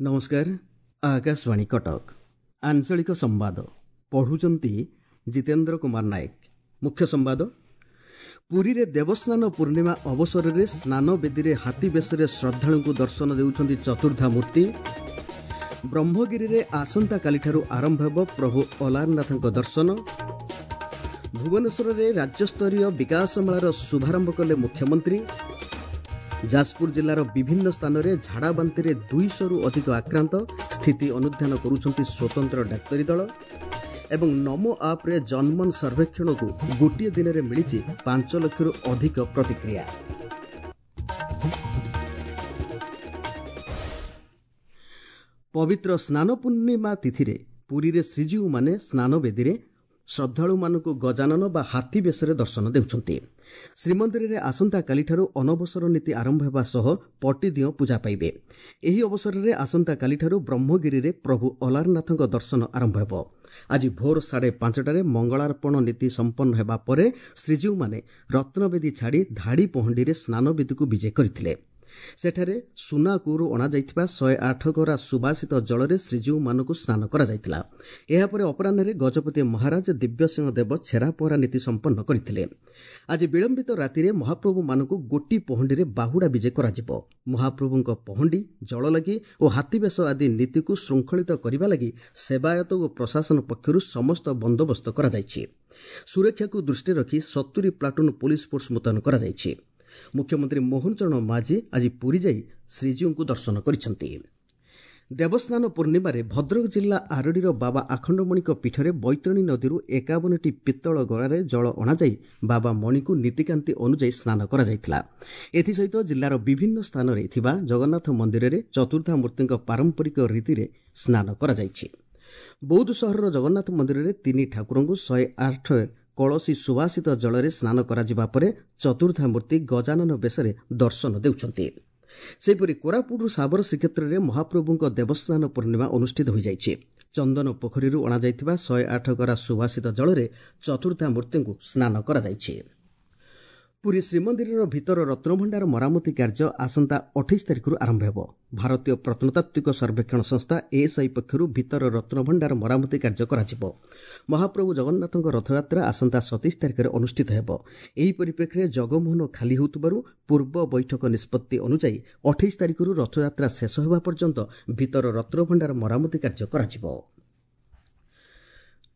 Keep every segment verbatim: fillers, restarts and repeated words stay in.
ନମସ୍କାର, ଆକାଶବାଣୀ କଟକ, ଆଞ୍ଚଳିକ ସମ୍ବାଦ ପଢ଼ୁଛନ୍ତି ଜିତେନ୍ଦ୍ର କୁମାର ନାୟକ। ମୁଖ୍ୟ ସମ୍ବାଦ। ପୁରୀରେ ଦେବସ୍ନାନ ପୂର୍ଣ୍ଣିମା ଅବସରରେ ସ୍ନାନବେଦୀରେ ହାତୀ ବେଶରେ ଶ୍ରଦ୍ଧାଳୁଙ୍କୁ ଦର୍ଶନ ଦେଉଛନ୍ତି ଚତୁର୍ଦ୍ଧା ମୂର୍ତ୍ତି। ବ୍ରହ୍ମଗିରିରେ ଆସନ୍ତାକାଲିଠାରୁ ଆରମ୍ଭ ହେବ ପ୍ରଭୁ ଅଲାରନାଥଙ୍କ ଦର୍ଶନ। ଭୁବନେଶ୍ୱରରେ ରାଜ୍ୟସ୍ତରୀୟ ବିକାଶ ମେଳାର ଶୁଭାରମ୍ଭ କଲେ ମୁଖ୍ୟମନ୍ତ୍ରୀ। ଯାଜପୁର ଜିଲ୍ଲାର ବିଭିନ୍ନ ସ୍ଥାନରେ ଝାଡ଼ାବାନ୍ତିରେ ଦୁଇଶହରୁ ଅଧିକ ଆକ୍ରାନ୍ତ, ସ୍ଥିତି ଅନୁଧ୍ୟାନ କରୁଛନ୍ତି ସ୍ୱତନ୍ତ୍ର ଡାକ୍ତରୀ ଦଳ। ଏବଂ ନମୋ ଆପ୍ରେ ଜନମନ ସର୍ବେକ୍ଷଣକୁ ଗୋଟିଏ ଦିନରେ ମିଳିଛି ପାଞ୍ଚ ଲକ୍ଷରୁ ଅଧିକ ପ୍ରତିକ୍ରିୟା। ପବିତ୍ର ସ୍ନାନ ପୂର୍ଣ୍ଣିମା ତିଥିରେ ପୁରୀରେ ଶ୍ରୀଜୀଉମାନେ ସ୍ନାନବେଦୀରେ ଶ୍ରଦ୍ଧାଳୁମାନଙ୍କୁ ଗଜାନନ ବା ହାତୀ ବେଶରେ ଦର୍ଶନ ଦେଉଛନ୍ତି। ଶ୍ରୀମନ୍ଦିରରେ ଆସନ୍ତାକାଲିଠାରୁ ଅନବସର ନୀତି ଆରମ୍ଭ ହେବା ସହ ପଟିଦିଅଁ ପୂଜା ପାଇବେ। ଏହି ଅବସରରେ ଆସନ୍ତାକାଲିଠାରୁ ବ୍ରହ୍ମଗିରିରେ ପ୍ରଭୁ ଅଲାରନାଥଙ୍କ ଦର୍ଶନ ଆରମ୍ଭ ହେବ। ଆଜି ଭୋର ସାଢ଼େ ପାଞ୍ଚଟାରେ ମଙ୍ଗଳାର୍ପଣ ନୀତି ସମ୍ପନ୍ନ ହେବା ପରେ ଶ୍ରୀଜୀଉମାନେ ରତ୍ନବେଦୀ ଛାଡ଼ି ଧାଡ଼ି ପହଣ୍ଡିରେ ସ୍ନାନବେଦୀକୁ ବିଜେ କରିଥିଲେ। ସେଠାରେ ସୁନା କୂଅରୁ ଅଣାଯାଇଥିବା ଶହେ ଆଠ ଗରା ସୁବାସିତ ଜଳରେ ଶ୍ରୀଜୀଉମାନଙ୍କୁ ସ୍ନାନ କରାଯାଇଥିଲା। ଏହାପରେ ଅପରାହ୍ନରେ ଗଜପତି ମହାରାଜ ଦିବ୍ୟସିଂହ ଦେବ ଛେରାପହଁରା ନୀତି ସମ୍ପନ୍ନ କରିଥିଲେ। ଆଜି ବିଳମ୍ବିତ ରାତିରେ ମହାପ୍ରଭୁମାନଙ୍କୁ ଗୋଟି ପହଣ୍ଡିରେ ବାହୁଡ଼ା ବିଜେ କରାଯିବ। ମହାପ୍ରଭୁଙ୍କ ପହଣ୍ଡି, ଜଳଲାଗି ଓ ହାତୀବେଶ ଆଦି ନୀତିକୁ ଶୃଙ୍ଖଳିତ କରିବା ଲାଗି ସେବାୟତ ଓ ପ୍ରଶାସନ ପକ୍ଷରୁ ସମସ୍ତ ବନ୍ଦୋବସ୍ତ କରାଯାଇଛି। ସୁରକ୍ଷାକୁ ଦୃଷ୍ଟିରେ ରଖି ସତୁରି ପ୍ଲାଟୁନ୍ ପୋଲିସ ଫୋର୍ସ ମୁତୟନ କରାଯାଇଛି। ମୁଖ୍ୟମନ୍ତ୍ରୀ ମୋହନ ଚରଣ ମାଝୀ ଆଜି ପୁରୀ ଯାଇ ଶ୍ରୀଜୀଉଙ୍କୁ ଦର୍ଶନ କରିଛନ୍ତି। ଦେବସ୍ନାନ ପୂର୍ଣ୍ଣିମାରେ ଭଦ୍ରକ ଜିଲ୍ଲା ଆରଡ଼ିର ବାବା ଆଖଣ୍ଡମଣିଙ୍କ ପୀଠରେ ବୈତରଣୀ ନଦୀରୁ ଏକାବନଟି ପିତ୍ତଳ ଗରାରେ ଜଳ ଅଣାଯାଇ ବାବା ମଣିଙ୍କୁ ନୀତିକାନ୍ତି ଅନୁଯାୟୀ ସ୍ନାନ କରାଯାଇଥିଲା। ଏଥିସହିତ ଜିଲ୍ଲାର ବିଭିନ୍ନ ସ୍ଥାନରେ ଥିବା ଜଗନ୍ନାଥ ମନ୍ଦିରରେ ଚତୁର୍ଦ୍ଧା ମୂର୍ତ୍ତିଙ୍କ ପାରମ୍ପରିକ ରୀତିରେ ସ୍ନାନ କରାଯାଇଛି। ବୌଦ୍ଧ ସହରର ଜଗନ୍ନାଥ ମନ୍ଦିରରେ ତିନି ଠାକୁରଙ୍କୁ ଶହେ ଆଠ କଳସୀ ସୁବାସିତ ଜଳରେ ସ୍ନାନ କରାଯିବା ପରେ ଚତୁର୍ଦ୍ଧା ମୂର୍ତ୍ତି ଗଜାନନ ବେଶରେ ଦର୍ଶନ ଦେଉଛନ୍ତି। ସେହିପରି କୋରାପୁଟରୁ ଶାବର ଶ୍ରୀକ୍ଷେତ୍ରରେ ମହାପ୍ରଭୁଙ୍କ ଦେବସ୍ନାନ ପୂର୍ଣ୍ଣିମା ଅନୁଷ୍ଠିତ ହୋଇଯାଇଛି। ଚନ୍ଦନ ପୋଖରୀରୁ ଅଣାଯାଇଥିବା ଶହେ ଆଠ ଗରା ସୁବାସିତ ଜଳରେ ଚତୁର୍ଦ୍ଧା ମୂର୍ତ୍ତିଙ୍କୁ ସ୍ନାନ କରାଯାଇଛି। ପୁରୀ ଶ୍ରୀମନ୍ଦିରର ଭିତର ରତ୍ନଭଣ୍ଡାର ମରାମତି କାର୍ଯ୍ୟ ଆସନ୍ତା ଅଠେଇଶ ତାରିଖରୁ ଆରମ୍ଭ ହେବ। ଭାରତୀୟ ପ୍ରତ୍ନତାତ୍ତ୍ୱିକ ସର୍ବେକ୍ଷଣ ସଂସ୍ଥା ଏଏସ୍ଆଇ ପକ୍ଷରୁ ଭିତର ରତ୍ନଭଣ୍ଡାର ମରାମତି କାର୍ଯ୍ୟ କରାଯିବ। ମହାପ୍ରଭୁ ଜଗନ୍ନାଥଙ୍କ ରଥଯାତ୍ରା ଆସନ୍ତା ସତେଇଶ ତାରିଖରେ ଅନୁଷ୍ଠିତ ହେବ। ଏହି ପରିପ୍ରେକ୍ଷୀରେ ଜଗମୋହନ ଖାଲି ହେଉଥିବାରୁ ପୂର୍ବ ବୈଠକ ନିଷ୍ପତ୍ତି ଅନୁଯାୟୀ ଅଠେଇଶ ତାରିଖରୁ ରଥଯାତ୍ରା ଶେଷ ହେବା ପର୍ଯ୍ୟନ୍ତ ଭିତର ରତ୍ନଭଣ୍ଡାର ମରାମତି କାର୍ଯ୍ୟ କରାଯିବ।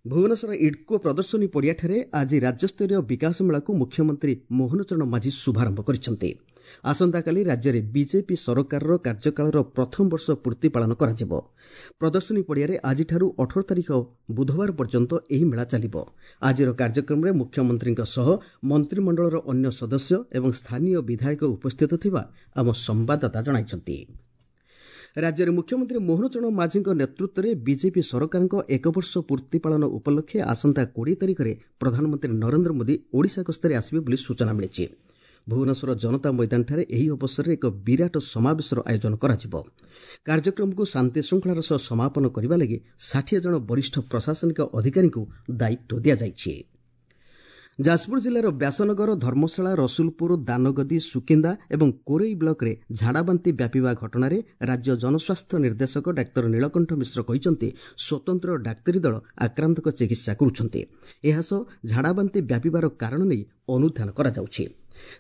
ଭୁବନେଶ୍ୱର ଇଡ୍କୋ ପ୍ରଦର୍ଶନୀ ପଡ଼ିଆଠାରେ ଆଜି ରାଜ୍ୟସ୍ତରୀୟ ବିକାଶ ମେଳାକୁ ମୁଖ୍ୟମନ୍ତ୍ରୀ ମୋହନ ଚରଣ ମାଝୀ ଶୁଭାରମ୍ଭ କରିଛନ୍ତି। ଆସନ୍ତାକାଲି ରାଜ୍ୟରେ ବିଜେପି ସରକାରର କାର୍ଯ୍ୟକାଳର ପ୍ରଥମ ବର୍ଷ ପୂର୍ତ୍ତି ପାଳନ କରାଯିବ। ପ୍ରଦର୍ଶନୀ ପଡ଼ିଆରେ ଆଜିଠାରୁ ଅଠର ତାରିଖ ବୁଧବାର ପର୍ଯ୍ୟନ୍ତ ଏହି ମେଳା ଚାଲିବ। ଆଜିର କାର୍ଯ୍ୟକ୍ରମରେ ମୁଖ୍ୟମନ୍ତ୍ରୀଙ୍କ ସହ ମନ୍ତ୍ରିମଣ୍ଡଳର ଅନ୍ୟ ସଦସ୍ୟ ଏବଂ ସ୍ଥାନୀୟ ବିଧାୟକ ଉପସ୍ଥିତ ଥିବା ଆମ ସମ୍ବାଦଦାତା ଜଣାଇଛନ୍ତି। ରାଜ୍ୟରେ ମୁଖ୍ୟମନ୍ତ୍ରୀ ମୋହନ ଚରଣ ମାଝୀଙ୍କ ନେତୃତ୍ୱରେ ବିଜେପି ସରକାରଙ୍କ ଏକବର୍ଷ ପୂର୍ତ୍ତି ପାଳନ ଉପଲକ୍ଷେ ଆସନ୍ତା କୋଡ଼ିଏ ତାରିଖରେ ପ୍ରଧାନମନ୍ତ୍ରୀ ନରେନ୍ଦ୍ର ମୋଦି ଓଡ଼ିଶା ଗସ୍ତରେ ଆସିବେ ବୋଲି ସୂଚନା ମିଳିଛି। ଭୁବନେଶ୍ୱର ଜନତା ମଇଦାନଠାରେ ଏହି ଅବସରରେ ଏକ ବିରାଟ ସମାବେଶର ଆୟୋଜନ କରାଯିବ। କାର୍ଯ୍ୟକ୍ରମକୁ ଶାନ୍ତିଶୃଙ୍ଖଳାର ସହ ସମାପନ କରିବା ଲାଗି ଷାଠିଏ ଜଣ ବରିଷ୍ଠ ପ୍ରଶାସନିକ ଅଧିକାରୀଙ୍କୁ ଦାୟିତ୍ୱ ଦିଆଯାଇଛି। ଯାଜପୁର ଜିଲ୍ଲାର ବ୍ୟାସନଗର, ଧର୍ମଶାଳା, ରସୁଲପୁର, ଦାନଗଦି, ସୁକିନ୍ଦା ଏବଂ କୋରେଇ ବ୍ଲକରେ ଝାଡ଼ାବାନ୍ତି ବ୍ୟାପିବା ଘଟଣାରେ ରାଜ୍ୟ ଜନସ୍ୱାସ୍ଥ୍ୟ ନିର୍ଦ୍ଦେଶକ ଡାକ୍ତର ନୀଳକଣ୍ଠ ମିଶ୍ର କହିଛନ୍ତି, ସ୍ୱତନ୍ତ୍ର ଡାକ୍ତରୀ ଦଳ ଆକ୍ରାନ୍ତଙ୍କ ଚିକିତ୍ସା କରୁଛନ୍ତି। ଏହାସହ ଝାଡ଼ାବାନ୍ତି ବ୍ୟାପିବାର କାରଣ ନେଇ ଅନୁଧ୍ୟାନ କରାଯାଉଛି।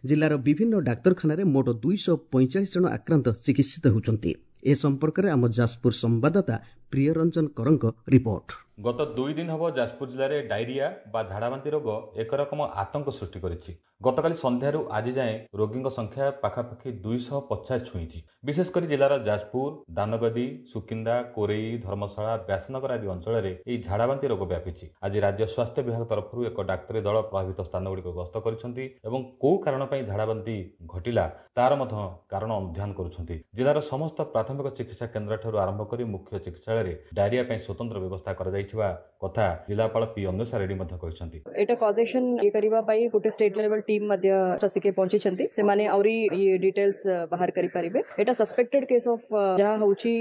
ଜିଲ୍ଲାର ବିଭିନ୍ନ ଡାକ୍ତରଖାନାରେ ମୋଟ ଦୁଇଶହ ପଇଁଚାଳିଶ ଜଣ ଆକ୍ରାନ୍ତ ଚିକିତ୍ସିତ ହେଉଛନ୍ତି। ଏ ସମ୍ପର୍କରେ ଆମ ଯାଜପୁର ସମ୍ବାଦଦାତା ପ୍ରିୟରଞ୍ଜନ କରଙ୍କ ରିପୋର୍ଟ। ଗତ ଦୁଇ ଦିନ ହେବ ଯାଜପୁର ଜିଲ୍ଲାରେ ଡାଇରିଆ ବା ଝାଡ଼ାବାନ୍ତି ରୋଗ ଏକରକମ ଆତଙ୍କ ସୃଷ୍ଟି କରିଛି। ଗତକାଲି ସନ୍ଧ୍ୟାରୁ ଆଜି ଯାଏଁ ରୋଗୀଙ୍କ ସଂଖ୍ୟା ପାଖାପାଖି ଦୁଇଶହ ପଚାଶ ଛୁଇଁଛି। ବିଶେଷ କରି ଜିଲ୍ଲାର ଯାଜପୁର, ଦାନଗଦି, ସୁକିନ୍ଦା, କୋରେଇ, ଧର୍ମଶାଳା, ବ୍ୟାସନଗର ଆଦି ଅଞ୍ଚଳରେ ଏହି ଝାଡ଼ାବାନ୍ତି ରୋଗ ବ୍ୟାପିଛି। ଆଜି ରାଜ୍ୟ ସ୍ୱାସ୍ଥ୍ୟ ବିଭାଗ ତରଫରୁ ଏକ ଡାକ୍ତରୀ ଦଳ ପ୍ରଭାବିତ ସ୍ଥାନଗୁଡ଼ିକ ଗସ୍ତ କରିଛନ୍ତି ଏବଂ କେଉଁ କାରଣ ପାଇଁ ଝାଡ଼ାବାନ୍ତି ଘଟିଲା ତାର ମଧ୍ୟ କାରଣ ଅନୁଧ୍ୟାନ କରୁଛନ୍ତି। ଜିଲ୍ଲାର ସମସ୍ତ ପ୍ରାଥମିକ ଚିକିତ୍ସା କେନ୍ଦ୍ରଠାରୁ ଆରମ୍ଭ କରି ମୁଖ୍ୟ ଚିକିତ୍ସାଳୟରେ କାର୍ଯ୍ୟାଳୟରେ ଡାଇରିଆ ପାଇଁ ସ୍ୱତନ୍ତ୍ର ବ୍ୟବସ୍ଥା କରାଯାଇଥିବା କଥା ଜିଲ୍ଲାପାଳ ପି ଅନ୍ୱେଷା ରେଡ୍ଡି ମଧ୍ୟ କହିଛନ୍ତି। ଏଇଟା କଜେସନ ଇଏ କରିବା ପାଇଁ ଗୋଟେ ଷ୍ଟେଟ୍ ଲେଭେଲ ଟିମ୍ ମଧ୍ୟ ଆସିକି ପହଞ୍ଚିଛନ୍ତି। ସେମାନେ ଆହୁରି ଇଏ ଡିଟେଲ୍ସ ବାହାର କରିପାରିବେ। ଏଇଟା ସସ୍ପେକ୍ଟେଡ କେସ୍ ଅଫ୍ ଯାହା ହଉଛି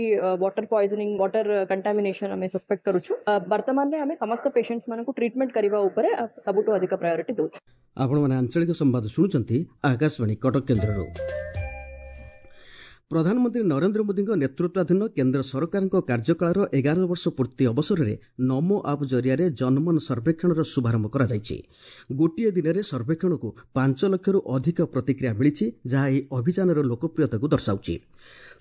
ୱାଟର ପଏଜନିଂ, ୱାଟର କଣ୍ଟାମିନେସନ ଆମେ ସସ୍ପେକ୍ଟ କରୁଛୁ। ବର୍ତ୍ତମାନରେ ଆମେ ସମସ୍ତ ପେସେଣ୍ଟସ୍ ମାନଙ୍କୁ ଟ୍ରିଟମେଣ୍ଟ କରିବା ଉପରେ ସବୁଠୁ ଅଧିକ ପ୍ରାୟୋରିଟି ଦେଉଛୁ। ଆପଣମାନେ ଆଞ୍ଚଳିକ ସମ୍ବାଦ ଶୁଣୁଛନ୍ତି ଆକାଶବାଣୀ କଟକ କେନ୍ଦ୍ରରୁ। ପ୍ରଧାନମନ୍ତ୍ରୀ ନରେନ୍ଦ୍ର ମୋଦିଙ୍କ ନେତୃତ୍ୱାଧୀନ କେନ୍ଦ୍ର ସରକାରଙ୍କ କାର୍ଯ୍ୟକାଳର ଏଗାର ବର୍ଷ ପୂର୍ତ୍ତି ଅବସରରେ ନମୋ ଆପ୍ ଜରିଆରେ ଜନମନ ସର୍ବେକ୍ଷଣର ଶୁଭାରମ୍ଭ କରାଯାଇଛି। ଗୋଟିଏ ଦିନରେ ସର୍ବେକ୍ଷଣକୁ ପାଞ୍ଚ ଲକ୍ଷରୁ ଅଧିକ ପ୍ରତିକ୍ରିୟା ମିଳିଛି, ଯାହା ଏହି ଅଭିଯାନର ଲୋକପ୍ରିୟତାକୁ ଦର୍ଶାଉଛି।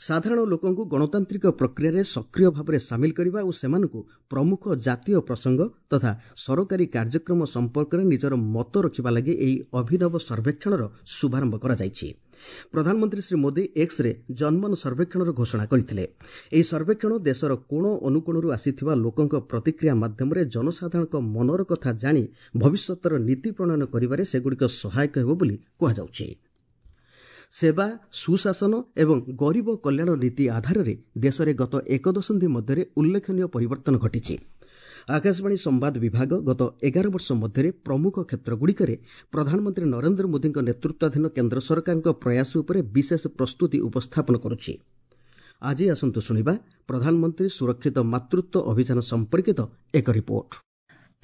ସାଧାରଣ ଲୋକଙ୍କୁ ଗଣତାନ୍ତ୍ରିକ ପ୍ରକ୍ରିୟାରେ ସକ୍ରିୟ ଭାବରେ ସାମିଲ କରିବା ଓ ସେମାନଙ୍କୁ ପ୍ରମୁଖ ଜାତୀୟ ପ୍ରସଙ୍ଗ ତଥା ସରକାରୀ କାର୍ଯ୍ୟକ୍ରମ ସମ୍ପର୍କରେ ନିଜର ମତ ରଖିବା ଲାଗି ଏହି ଅଭିନବ ସର୍ବେକ୍ଷଣର ଶୁଭାରମ୍ଭ କରାଯାଇଛି। ପ୍ରଧାନମନ୍ତ୍ରୀ ଶ୍ରୀ ମୋଦି ଏକ୍ସରେ ଜନମନ ସର୍ବେକ୍ଷଣର ଘୋଷଣା କରିଥିଲେ। ଏହି ସର୍ବେକ୍ଷଣ ଦେଶର କୋଣ ଅନୁକୋଣରୁ ଆସିଥିବା ଲୋକଙ୍କ ପ୍ରତିକ୍ରିୟା ମାଧ୍ୟମରେ ଜନସାଧାରଣଙ୍କ ମନର କଥା ଜାଣି ଭବିଷ୍ୟତର ନୀତି ପ୍ରଣୟନ କରିବାରେ ସେଗୁଡ଼ିକ ସହାୟକ ହେବ ବୋଲି କୁହାଯାଉଛି। ସେବା, ସୁଶାସନ ଏବଂ ଗରିବ କଲ୍ୟାଣ ନୀତି ଆଧାରରେ ଦେଶରେ ଗତ ଏକ ଦଶନ୍ଧି ମଧ୍ୟରେ ଉଲ୍ଲେଖନୀୟ ପରିବର୍ତ୍ତନ ଘଟିଛି। ଆକାଶବାଣୀ ସମ୍ବାଦ ବିଭାଗ ଗତ ଏଗାର ବର୍ଷ ମଧ୍ୟରେ ପ୍ରମୁଖ କ୍ଷେତ୍ରଗୁଡ଼ିକରେ ପ୍ରଧାନମନ୍ତ୍ରୀ ନରେନ୍ଦ୍ର ମୋଦିଙ୍କ ନେତୃତ୍ୱାଧୀନ କେନ୍ଦ୍ର ସରକାରଙ୍କ ପ୍ରୟାସ ଉପରେ ବିଶେଷ ପ୍ରସ୍ତୁତି ଉପସ୍ଥାପନ କରୁଛି। ଆଜି ଆସନ୍ତୁ ଶୁଣିବା ପ୍ରଧାନମନ୍ତ୍ରୀ ସୁରକ୍ଷିତ ମାତୃତ୍ୱ ଅଭିଯାନ ସମ୍ପର୍କିତ ଏକ ରିପୋର୍ଟ।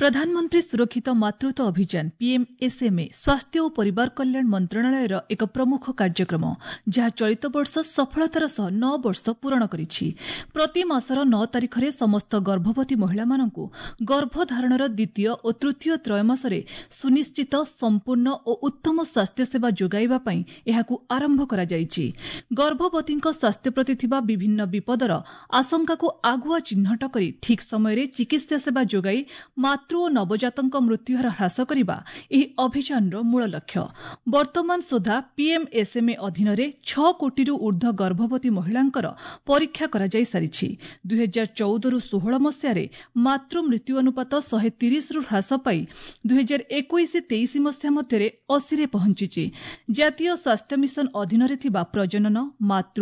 ପ୍ରଧାନମନ୍ତ୍ରୀ ସୁରକ୍ଷିତ ମାତୃତ୍ୱ ଅଭିଯାନ ପିଏମ୍ଏସ୍ଏମ୍ଏ ସ୍ୱାସ୍ଥ୍ୟ ଓ ପରିବାର କଲ୍ୟାଣ ମନ୍ତ୍ରଣାଳୟର ଏକ ପ୍ରମୁଖ କାର୍ଯ୍ୟକ୍ରମ, ଯାହା ଚଳିତ ବର୍ଷ ସଫଳତାର ସହ ନଅ ବର୍ଷ ପୂରଣ କରିଛି। ପ୍ରତି ମାସର ନଅ ତାରିଖରେ ସମସ୍ତ ଗର୍ଭବତୀ ମହିଳାମାନଙ୍କୁ ଗର୍ଭଧାରଣର ଦ୍ୱିତୀୟ ଓ ତୃତୀୟ ତ୍ରୟମାସରେ ସୁନିଶ୍ଚିତ, ସମ୍ପୂର୍ଣ୍ଣ ଓ ଉତ୍ତମ ସ୍ୱାସ୍ଥ୍ୟସେବା ଯୋଗାଇବା ପାଇଁ ଏହାକୁ ଆରମ୍ଭ କରାଯାଇଛି। ଗର୍ଭବତୀଙ୍କ ସ୍ୱାସ୍ଥ୍ୟ ପ୍ରତି ଥିବା ବିଭିନ୍ନ ବିପଦର ଆଶଙ୍କାକୁ ଆଗୁଆ ଚିହ୍ନଟ କରି ଠିକ୍ ସମୟରେ ଚିକିତ୍ସା ସେବା ଯୋଗାଇ ମାତୃ ଓ ନବଜାତଙ୍କ ମୃତ୍ୟୁହାର ହ୍ରାସ କରିବା ଏହି ଅଭିଯାନର ମୂଳ ଲକ୍ଷ୍ୟ। ବର୍ତ୍ତମାନ ସୁଦ୍ଧା ପିଏମ୍ଏସ୍ଏମ୍ଏ ଅଧୀନରେ ଛଅ କୋଟିରୁ ଊର୍ଦ୍ଧ୍ୱ ଗର୍ଭବତୀ ମହିଳାଙ୍କର ପରୀକ୍ଷା କରାଯାଇ ସାରିଛି। ଦୁଇହଜାର ଚଉଦରୁ ଷୋହଳ ମସିହାରେ ମାତୃ ମୃତ୍ୟୁ ଅନୁପାତ ଶହେ ତିରିଶରୁ ହ୍ରାସ ପାଇ ଦୁଇହଜାର ଏକୋଇଶ ତେଇଶ ମସିହା ମଧ୍ୟରେ ଅଶୀରେ ପହଞ୍ଚିଛି। ଜାତୀୟ ସ୍ୱାସ୍ଥ୍ୟ ମିଶନ ଅଧୀନରେ ଥିବା ପ୍ରଜନନ, ମାତୃ,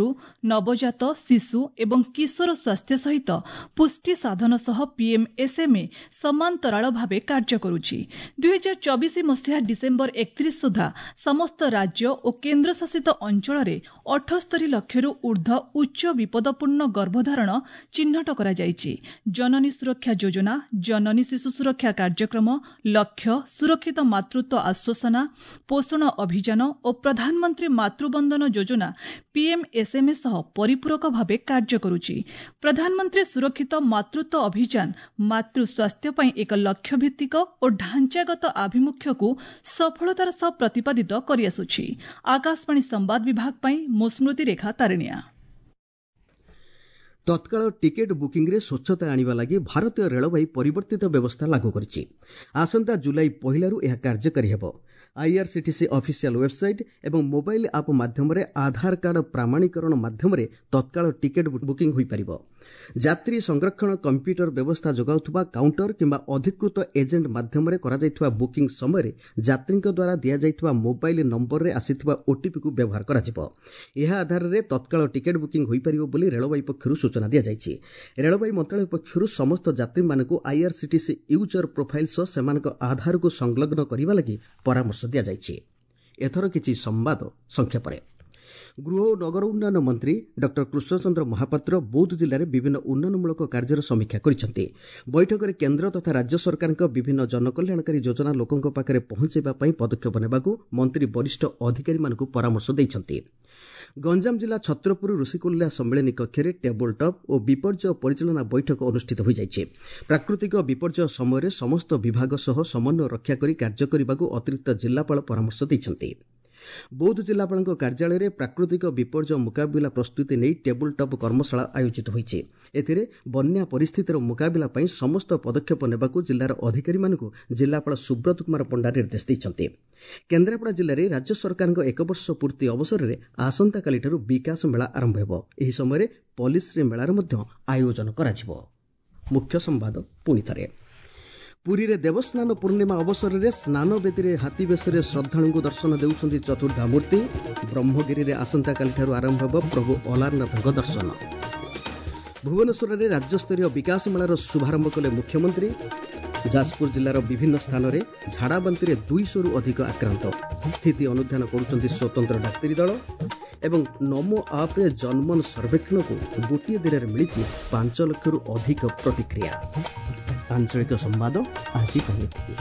ନବଜାତ, ଶିଶୁ ଏବଂ କିଶୋର ସ୍ୱାସ୍ଥ୍ୟ ସହିତ ପୁଷ୍ଟି ସାଧନ ସହ ପିଏମ୍ଏସ୍ଏମ୍ଏ ସମାନ୍ତରାଳ ଭାବେ କାର୍ଯ୍ୟ କରୁଛି। ଦୁଇହଜାର ଚବିଶ ମସିହା ଡିସେମ୍ବର ଏକତିରିଶ ସୁଦ୍ଧା ସମସ୍ତ ରାଜ୍ୟ ଓ କେନ୍ଦ୍ରଶାସିତ ଅଞ୍ଚଳରେ ଅଠସ୍ତରୀ ଲକ୍ଷରୁ ଊର୍ଦ୍ଧ୍ୱ ଉଚ୍ଚ ବିପଦପୂର୍ଣ୍ଣ ଗର୍ଭଧାରଣ ଚିହ୍ନଟ କରାଯାଇଛି। ଜନନୀ ସୁରକ୍ଷା ଯୋଜନା, ଜନନୀ ଶିଶୁ ସୁରକ୍ଷା କାର୍ଯ୍ୟକ୍ରମ, ଲକ୍ଷ୍ୟ, ସୁରକ୍ଷିତ ମାତୃତ୍ୱ ଆଶ୍ୱାସନା, ପୋଷଣ ଅଭିଯାନ ଓ ପ୍ରଧାନମନ୍ତ୍ରୀ ମାତୃବନ୍ଦନ ଯୋଜନା ପିଏମ୍ଏସ୍ଏମ୍ଏ ସହ ପରିପୂରକ ଭାବେ କାର୍ଯ୍ୟ କରୁଛି। ପ୍ରଧାନମନ୍ତ୍ରୀ ସୁରକ୍ଷିତ ମାତୃତ୍ୱ ଅଭିଯାନ ମାତୃ ସ୍ୱାସ୍ଥ୍ୟ ପାଇଁ ଏକ ଲକ୍ଷ୍ୟଭିତ୍ତିକ ଓ ଢାଞ୍ଚାଗତ ଆଭିମୁଖ୍ୟକୁ ସଫଳତାର ସହ ପ୍ରତିପାଦିତ କରିଆସୁଛି। ଆକାଶବାଣୀ ସମ୍ବାଦ ବିଭାଗ ପାଇଁ ମୁଁ ସ୍ମୃତିରେଖା ତାରିଣିଆ। ତତ୍କାଳ ଟିକେଟ୍ ବୁକିଂରେ ସ୍ୱଚ୍ଛତା ଆଣିବା ଲାଗି ଭାରତୀୟ ରେଳବାଇ ପରିବର୍ତ୍ତିତ ବ୍ୟବସ୍ଥା ଲାଗୁ କରିଛି। ଆସନ୍ତା ଜୁଲାଇ ପହିଲାରୁ ଏହା କାର୍ଯ୍ୟକାରୀ ହେବ। ଆଇଆର୍ସିଟିସି ଅଫିସିଆଲ ୱେବ୍ସାଇଟ୍ ଏବଂ ମୋବାଇଲ୍ ଆପ୍ ମାଧ୍ୟମରେ ଆଧାର କାର୍ଡ ପ୍ରାମାଣୀକରଣ ମାଧ୍ୟମରେ ତତ୍କାଳ ଟିକେଟ୍ ବୁକିଂ ହୋଇପାରିବ। ଯାତ୍ରୀ ସଂରକ୍ଷଣ କମ୍ପ୍ୟୁଟର ବ୍ୟବସ୍ଥା ଯୋଗାଉଥିବା କାଉଣ୍ଟର କିମ୍ବା ଅଧିକୃତ ଏଜେଣ୍ଟ ମାଧ୍ୟମରେ କରାଯାଇଥିବା ବୁକିଂ ସମୟରେ ଯାତ୍ରୀଙ୍କ ଦ୍ୱାରା ଦିଆଯାଇଥିବା ମୋବାଇଲ୍ ନମ୍ବରରେ ଆସିଥିବା ଓଟିପିକୁ ବ୍ୟବହାର କରାଯିବ। ଏହା ଆଧାରରେ ତତ୍କାଳ ଟିକେଟ୍ ବୁକିଂ ହୋଇପାରିବ ବୋଲି ରେଳବାଇ ପକ୍ଷରୁ ସୂଚନା ଦିଆଯାଇଛି। ରେଳବାଇ ମନ୍ତ୍ରଣାଳୟ ପକ୍ଷରୁ ସମସ୍ତ ଯାତ୍ରୀମାନଙ୍କୁ ଆଇଆର୍ସିଟିସି ୟୁଜର ପ୍ରୋଫାଇଲ୍ ସହ ସେମାନଙ୍କ ଆଧାରକୁ ସଂଲଗ୍ନ କରିବା ଲାଗି ପରାମର୍ଶ ଦିଆଯାଇଛି। ଏଥର କିଛି ସମ୍ବାଦ ସଂକ୍ଷେପରେ। ଗୃହ ଓ ନଗର ଉନ୍ନୟନ ମନ୍ତ୍ରୀ ଡକ୍ଟର କୃଷ୍ଣଚନ୍ଦ୍ର ମହାପାତ୍ର ବୌଦ୍ଧ ଜିଲ୍ଲାରେ ବିଭିନ୍ନ ଉନ୍ନୟନମୂଳକ କାର୍ଯ୍ୟର ସମୀକ୍ଷା କରିଛନ୍ତି। ବୈଠକରେ କେନ୍ଦ୍ର ତଥା ରାଜ୍ୟ ସରକାରଙ୍କ ବିଭିନ୍ନ ଜନକଲ୍ୟାଣକାରୀ ଯୋଜନା ଲୋକଙ୍କ ପାଖରେ ପହଞ୍ଚାଇବା ପାଇଁ ପଦକ୍ଷେପ ନେବାକୁ ମନ୍ତ୍ରୀ ବରିଷ୍ଠ ଅଧିକାରୀମାନଙ୍କୁ ପରାମର୍ଶ ଦେଇଛନ୍ତି। ଗଞ୍ଜାମ ଜିଲ୍ଲା ଛତ୍ରପୁର ଋଷିକୁଲ୍ୟା ସମ୍ମିଳନୀ କକ୍ଷରେ ଟେବୁଲ୍ ଟପ୍ ଓ ବିପର୍ଯ୍ୟୟ ପରିଚାଳନା ବୈଠକ ଅନୁଷ୍ଠିତ ହୋଇଯାଇଛି। ପ୍ରାକୃତିକ ବିପର୍ଯ୍ୟୟ ସମୟରେ ସମସ୍ତ ବିଭାଗ ସହ ସମନ୍ୱୟ ରକ୍ଷା କରି କାର୍ଯ୍ୟ କରିବାକୁ ଅତିରିକ୍ତ ଜିଲ୍ଲାପାଳ ପରାମର୍ଶ ଦେଇଛନ୍ତି। ବୌଦ୍ଧ ଜିଲ୍ଲାପାଳଙ୍କ କାର୍ଯ୍ୟାଳୟରେ ପ୍ରାକୃତିକ ବିପର୍ଯ୍ୟୟ ମୁକାବିଲା ପ୍ରସ୍ତୁତି ନେଇ ଟେବୁଲ୍ ଟପ୍ କର୍ମଶାଳା ଆୟୋଜିତ ହୋଇଛି। ଏଥିରେ ବନ୍ୟା ପରିସ୍ଥିତିର ମୁକାବିଲା ପାଇଁ ସମସ୍ତ ପଦକ୍ଷେପ ନେବାକୁ ଜିଲ୍ଲାର ଅଧିକାରୀମାନଙ୍କୁ ଜିଲ୍ଲାପାଳ ସୁବ୍ରତ କୁମାର ପଣ୍ଡା ନିର୍ଦ୍ଦେଶ ଦେଇଛନ୍ତି। କେନ୍ଦ୍ରାପଡ଼ା ଜିଲ୍ଲାରେ ରାଜ୍ୟ ସରକାରଙ୍କ ଏକବର୍ଷ ପୂର୍ତ୍ତି ଅବସରରେ ଆସନ୍ତାକାଲିଠାରୁ ବିକାଶ ମେଳା ଆରମ୍ଭ ହେବ। ଏହି ସମୟରେ ପଲିଶ୍ରୀ ମେଳାର ମଧ୍ୟ ଆୟୋଜନ କରାଯିବ। ମୁଖ୍ୟ ସମ୍ବାଦ ପୁଣି ଥରେ। ପୁରୀରେ ଦେବସ୍ନାନ ପୂର୍ଣ୍ଣିମା ଅବସରରେ ସ୍ନାନବେଦୀରେ ହାତୀବେଶରେ ଶ୍ରଦ୍ଧାଳୁଙ୍କୁ ଦର୍ଶନ ଦେଉଛନ୍ତି ଚତୁର୍ଦ୍ଧାମୂର୍ତ୍ତି। ବ୍ରହ୍ମଗିରିରେ ଆସନ୍ତାକାଲିଠାରୁ ଆରମ୍ଭ ହେବ ପ୍ରଭୁ ଅଲାରନାଥଙ୍କ ଦର୍ଶନ। ଭୁବନେଶ୍ୱରରେ ରାଜ୍ୟସ୍ତରୀୟ ବିକାଶ ମେଳାର ଶୁଭାରମ୍ଭ କଲେ ମୁଖ୍ୟମନ୍ତ୍ରୀ। ଯାଜପୁର ଜିଲ୍ଲାର ବିଭିନ୍ନ ସ୍ଥାନରେ ଝାଡ଼ାବାନ୍ତିରେ ଦୁଇଶହରୁ ଅଧିକ ଆକ୍ରାନ୍ତ, ସ୍ଥିତି ଅନୁଧ୍ୟାନ କରୁଛନ୍ତି ସ୍ୱତନ୍ତ୍ର ଡାକ୍ତରୀ ଦଳ। ଏବଂ ନମୋ ଆପ୍ରେ ଜନମନ ସର୍ବେକ୍ଷଣକୁ ଗୋଟିଏ ଦିନରେ ମିଳିଛି ପାଞ୍ଚ ଲକ୍ଷରୁ ଅଧିକ ପ୍ରତିକ୍ରିୟା। ଆଞ୍ଚଳିକ ସମ୍ବାଦ ଆଜି ପାଇଁ ଏତିକି।